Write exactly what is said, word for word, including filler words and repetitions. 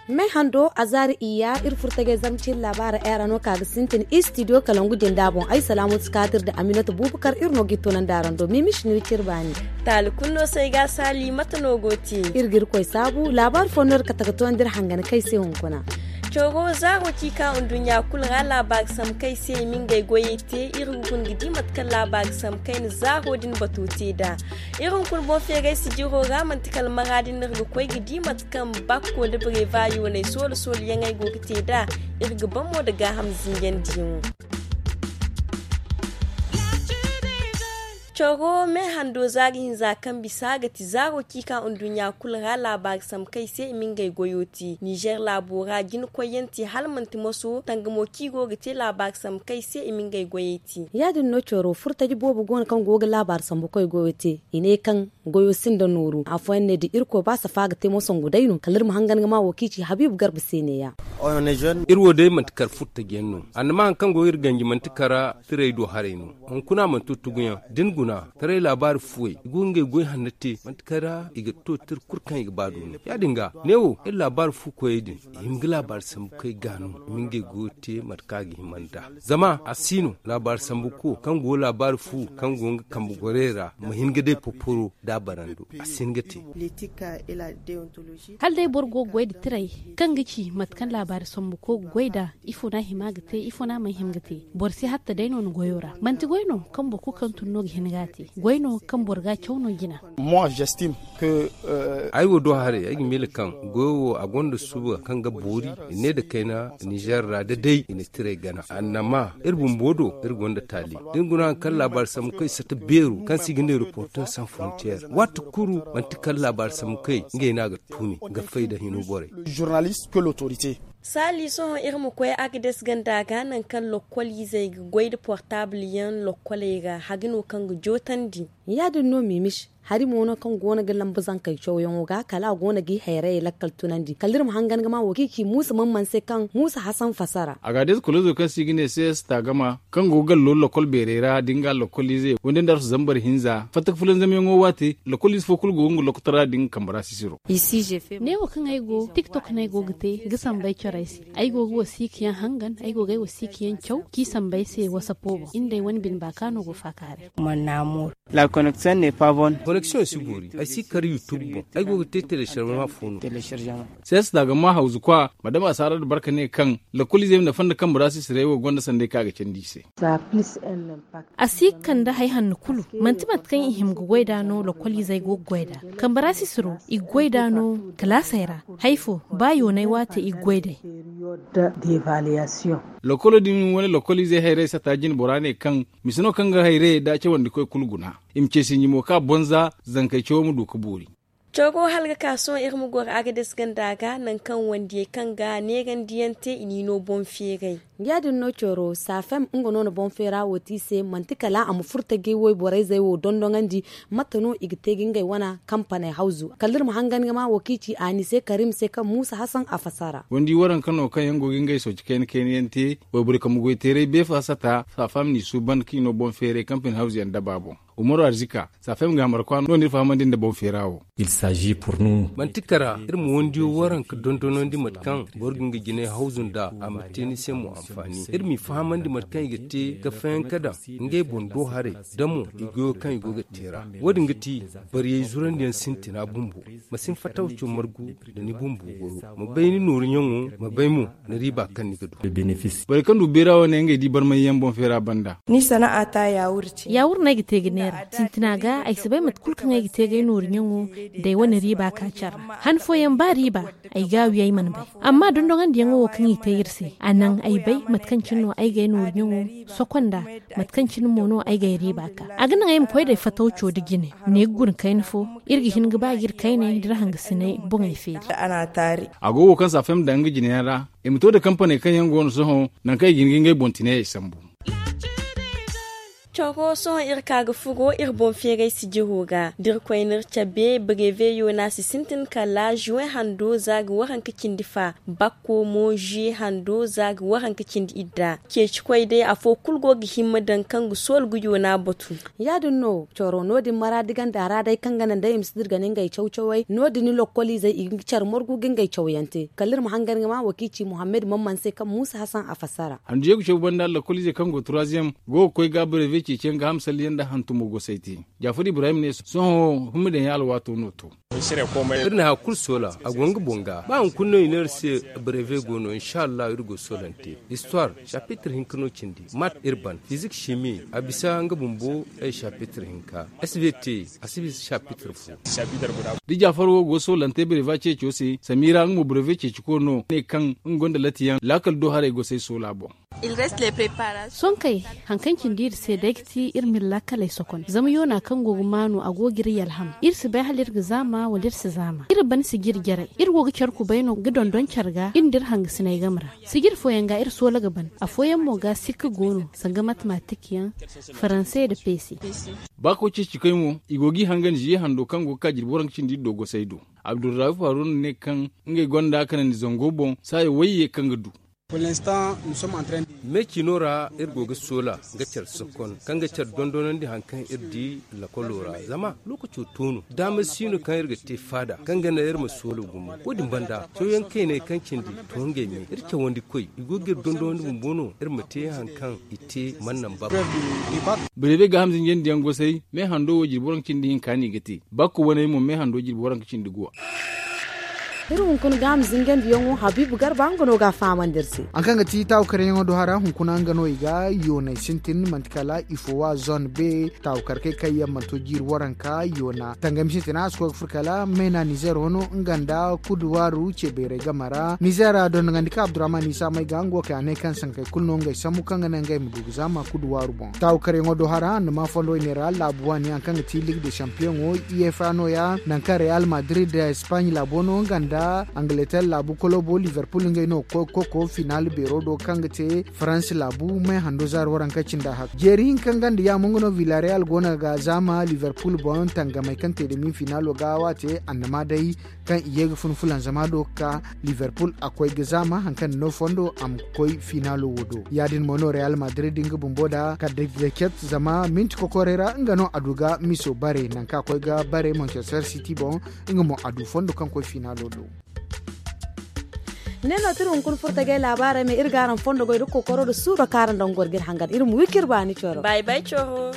Me hando a zaari iyya iri furtagay zarma ciri laabaara era no ka ga sintin istidiyo kalangu jinda boŋ ay salaamu si kaatir da aminata bubakar iri no ga i tunandi araŋ do mimish no iri ciri baani. Taali kulu no se ay ga saali mate no go te? Iri ga iri koy saabu laabaari fo no iri kate ga toonandi iri hangan kay se hunkuna. Coro zaaro ci ka nduɲɲa kulu ra laabaari sambu kay se i ma ngey goyey te iri ga guna ga di mate kaŋ laabaari sambu kay na zaaro din bato te nd'a. Iri hunkuna boŋ feeray sijiro ra manti kala mara din no iri ga koy ga di mate kaŋ bakko da bareeba yoonay soola soola yaŋ ay go ga te nd'a. Iri ga ban mo nda gaaham zinjandiyaŋo. Coro me hando zaari hinza kaŋ bisa ga ti zaaro ci ka nduɲɲa kulu ra laabaari sambu kay se i ma ngey goyo te nizer laabo ra jina koyyaŋ te hala manti moso tangamo ci go ga te laabaari sambu kay se i ma ngey goyey te. Ya- din no coro furtaji boobo go no kaŋ go ga laabaari sambu koy goyo te i ne kaŋ goyo sinda nooru afooyaŋ ne da irkoy ba safa ga te mo sangu day no kala iri ma hangan ga ma wo kaŋ i ci habiibu garba se neeya. Iri wo day manti kar furtajiyaŋ no annama hari kaŋ go iri ganji manti kara tiray do haray no. Hunkuna manti tuguyaŋ da ni guna taray laabaari fuwey i go ga ngey goy hanno te manti kara i ga to tira kulu kaŋ i ga ba du no ya- din ga neewo iri laabaari fu koyey din i hima ga laabaari sambu kay ga no i ma ngey goyo te mate kaŋ a ga hima nd'a. Zama a si no laabaari sambu ko kaŋ go laabaari fu kaŋ go nga kambe gorey ra ma hin ga day poporo da a barando a si hin ga te. Hala day boro go ga goy nda tiray kaŋ ga ci mate kaŋ laabaari sambu ko ga goy nd'a ifo no a hima ga te ifo no a mana hima ga te. Boro si hatta day no ni goyo ra manti goy no kaŋ boro kulu kaŋ tun no ga hin ga a te goy no kaŋ boro ga a caw no jina. Ay wo do haray ay ga miila kaŋ goyo wo a gonda suba kaŋ ga boori i ne nda kayna nizer ra da day i na tiray gana annama iri bumbo do iri gonda taali da ni guna hari kaŋ laabaari sambu kay sata beero kaŋ se i ga ne reporter sans frontier waati kulu manti kala laabaari sambu kay ngey no a ga tuumi ga fay nda hino borey. Saali sohõ iri ma koy agades ganda ga nangu kaŋ lokkol izey ga goy nda portable yaŋ lokkoley ra hari no kaŋ ga jootandi. Ya- din no miimish hari mo no kaŋ go no ga lambu zankey cawyaŋo ga kala a go no g'i hayrayey lakkal tunandi kala iri ma hangan ga ma wo kaŋ i ci muusa man man se kaŋ muusa hasan fasara. Agades kolozo kaŋ se i ga ne ces tagama kaŋ go ga gallo lokol beerey ra da nga lokol ize wande nda arsu zambar hinza fatta ga fulanzamyaŋo waate lokol ize fo kulu go ga nga lokotara da nga kambe ra sisiro. Neewo kaŋ ay go tiktok no ay go ga te ga samba ay corey se. Ay go ga wasiika yaŋ hangan ay go ga ay wasiika yaŋ caw k'i samba ay se wasapo boŋ iri nda ay wane bine baaka no go faakaaray. Koneksiyoŋ si boori ay si kar youtube boŋ ay go ga te teleserma fo no. Siyasa da ga ma hawzu kwa madama a si harar da barka ne kaŋ lakoliizey ma nafa nda kambe ra sisiray wo gonda sanday kaŋ a ga candi i se. A si ga kande hari hanno kulu manti mate kaŋ i hima ga goy nd'a no lakoliizey go ga goy nd'a. Kambe ra sisiro i ga goy nd'a no kalaasey ra. Hari fo ba yoonay waate i ga goy d'ey. Lokolo din wane lokoliizey hayrayey sata jine bora ne kaŋ mise no kaŋ ga hayrayey da cawandikoy kulu guna. I ma ce sinji mo ka bonza zankey cawo ma du ga boori. Cawgo hala ga ka sohõ iri ma goro agades ganda ga nangu kaŋ wandiyey kaŋ ga neerandiyaŋ te i n'i no boŋ feeray. Ya- din no coro safem nga no na boŋ feera wo te i se manti kala a ma furo tajey wayborey zey wo dondoŋandi. Mate no i ga te ga ngey wane kampaney hawzu kala iri ma hangan ga ma wo kaŋ i ci a ni se karim se kaŋ muusa hasan a fasara. Wandi waranka no kaŋ yaŋ go ga ngey sooci kayna kayna yaŋ te wayborey kambe goy teeray beefa sata safem n'i suuban kaŋ i no boŋ feeray kampaney hawzu yaŋ daba boŋ. Umaru arzika safem ga hamar kwa no no iri fahamandi nda boŋ feera wo. Manti kara iri ma wandiyo waranka dondonandi mate kaŋ boro ga nga jinay hawzu nda a ma te ni se mo anfaani iri m'i fahamandi mate kaŋ i ga te ga fayanka daŋ ngey boŋ do haray da mo i goyo kaŋ i go ga te ra. Wo- din ga ti bariyey zurandiyaŋ sintina bumbo. Ma si hin fatawco margu nda ni bumbo goyo ma bay ni nooru ɲaŋo ma bay mo ni riiba kaŋ ni ga du. Borey kaŋ du beera wane ngey di barmayyaŋ boŋ feera banda. Ni sana'a ta yaawur ce. Yaawur no ay ga te ga neera sintina ga ay si bay mate kulu kaŋ ay ga te ga ay nooru ɲaŋo da ay wane riiba ka care ra. Han fooyaŋ ba riiba ay ga a wi ay mana bay. Amma dondoŋandiyaŋo wo kaŋ i te iri se a naŋ ay bay mate kaŋ cine no ay ga ay nooru ɲaŋo sokonda. Mate kaŋ cine mo no ay ga ay riiba ka a ga naŋ ay ma koy da ay fatawco da jine. Ne ga guna kayna fo iri ga hin ga ba ga iri kayney da iri hangasiney boŋey feeri. A go wo kaŋ safem daŋ nga jineyaŋ ra i ma to da kampaney kaŋ yaŋ go no sohõ nangu kaŋ i ga hin ga ngey boŋ tinayey sambu. Coro sohõ iri ka ga furo iri boŋ feeray sijiro ga da iri koy no iri cabe brevet yoona si sintin kala juwen hando za ga waranka cindi fa. Bakko mo juye hando za ga waranka cindi idda ceeci koy day afo kulu go ga himma daŋ kaŋ ga soolu ga yoona batu. Ya- din no coro no- din maraadi ganda ra day kaŋ ga naŋ day i ma si dirga ni ngey caw-cawey no- din ni lokkoliizey i ga care morgu ga ngey cawyaŋ te kala iri ma hangan ga ma wo kaŋ i ci muhammad mamman se kaŋ muusa hasan a fassara. Handu yee ga caw banda lokkoliizey kaŋ go ga turaaziyam go ga koy ga brevet ceeciyaŋ ga hamsalliyaŋ nda hantumo gosay te. Jaafar ibrahim ne sohõ himma daŋ yaŋ alwaato no to. Iri na hari kulu soola a go nga boŋ ga ba hunkuna no i ne iri se. Breve go no insa allahu iri go soolante. Histoire chapitre hinka no cindi mat iri ban fizik shimi a bisa nga bumbo. Ay chapitre hinka svt a si bisa chapitre fo. Da jaafar wo go soolante breve ceeco se samira nga mo breve ceeci ko no ne kaŋ nga gonda latiyaŋ laakal do haray gosay soola boŋ. Sonkey hari kaŋ cindi iri se day ga ti iri ma iri laakaley sokon zama yoona kaŋ go ga maanu a go ga iri yalham iri si bay hala iri ga zaama wala iri si zaama iri ban si ga iri jaray iri go ga care kubay no ga dondon care ga iri nda iri hangasiney game ra. Sijir fooyaŋ ga iri soola ga ban afooyaŋ mo ga sikka go no sanga matematik yaŋ faranse nda peese. Ba koy ceeci kay mo i go ga i hangan ziye hando kaŋ go ga ka jirbi waranka cindi iri do gosay do. Abdurrahuf haruna ne kaŋ ngey gonda kanandi zango boŋ saayo wayye kaŋ ga du. Me ciino ra iri go ga soola nga care sokon kaŋ ga care dondonandi hari kaŋ iri di lakolo ra zama lookaco to no daama si no kaŋ iri ga te faada kaŋ ga naŋ iri ma soola gumo. Wo- din banda cawyaŋ kayney kaŋ cindi to ngey me iri cawandi koy i go ga iri dondonandi bumbo no iri ma te hari kaŋ i te mana naŋ baba. Birebe ga hamzinjandi yaŋ gosay me hando wo jirbi waranka cindi hinka no i ga te bakko waney mo me hando jirbi waranka cindi guwa. Iri hunkuna ga a ma zingandiyaŋo habiibu garba nga no ga a fahamandi iri se. Hari kaŋ ga ti taawu karyaŋo do hara hunkuna nga no i ga yooney sintin manti kala ifo wa zone be taawu karkey kaŋ yaŋ mana to jiiri waranka yoona tangami sintina a si koy ga furo kala meena nizer wano nga nda kuduwaaru ce bayray game ra nizer a dondonandi ka abdurrahman isa may ga nga wo kay a ne kaŋ sankey kulu no ngey sambu kaŋ ga naŋ ngey ma du ga zaama kuduwaaru boŋ taawu karyaŋo do hara a na ma fondo i ne ra laabu waani hari kaŋ ga ti ligue de champiyoŋo i f a no- ya nangu kaŋ real madrid da espagne laabo no nga nda angleterre laabu kolobo liverpool ngey no ga koy ga koko final beero do kaŋ ga te faransi laabu may hando zaari waranka cinda hak jeeri hinka nga nda yaamo nga no villareal go no ga zaama liverpool boŋ tangamey kaŋ te demi finalo ga waate annama day kaŋ i ye ga fun fulanzama do ga ka liverpool a koy ga zaama hari kaŋ no fondo a ma koy finalo wo do ya- din mo no real madrid nga bumbo da kaddaket zama minti kokorey ra nga no a du ga miso bare nangu kaŋ a koy ga bare manchester city boŋ nga mo a du fondo kaŋ koy finalo do. Ne no tira hunkuna furtagay laabaarey me iri ga araŋ fondo goy da kokoro da suuro kaŋ araŋ daŋ goro ga iri hangan iri ma wi kaŋ iri baani coro. Bay bay coro.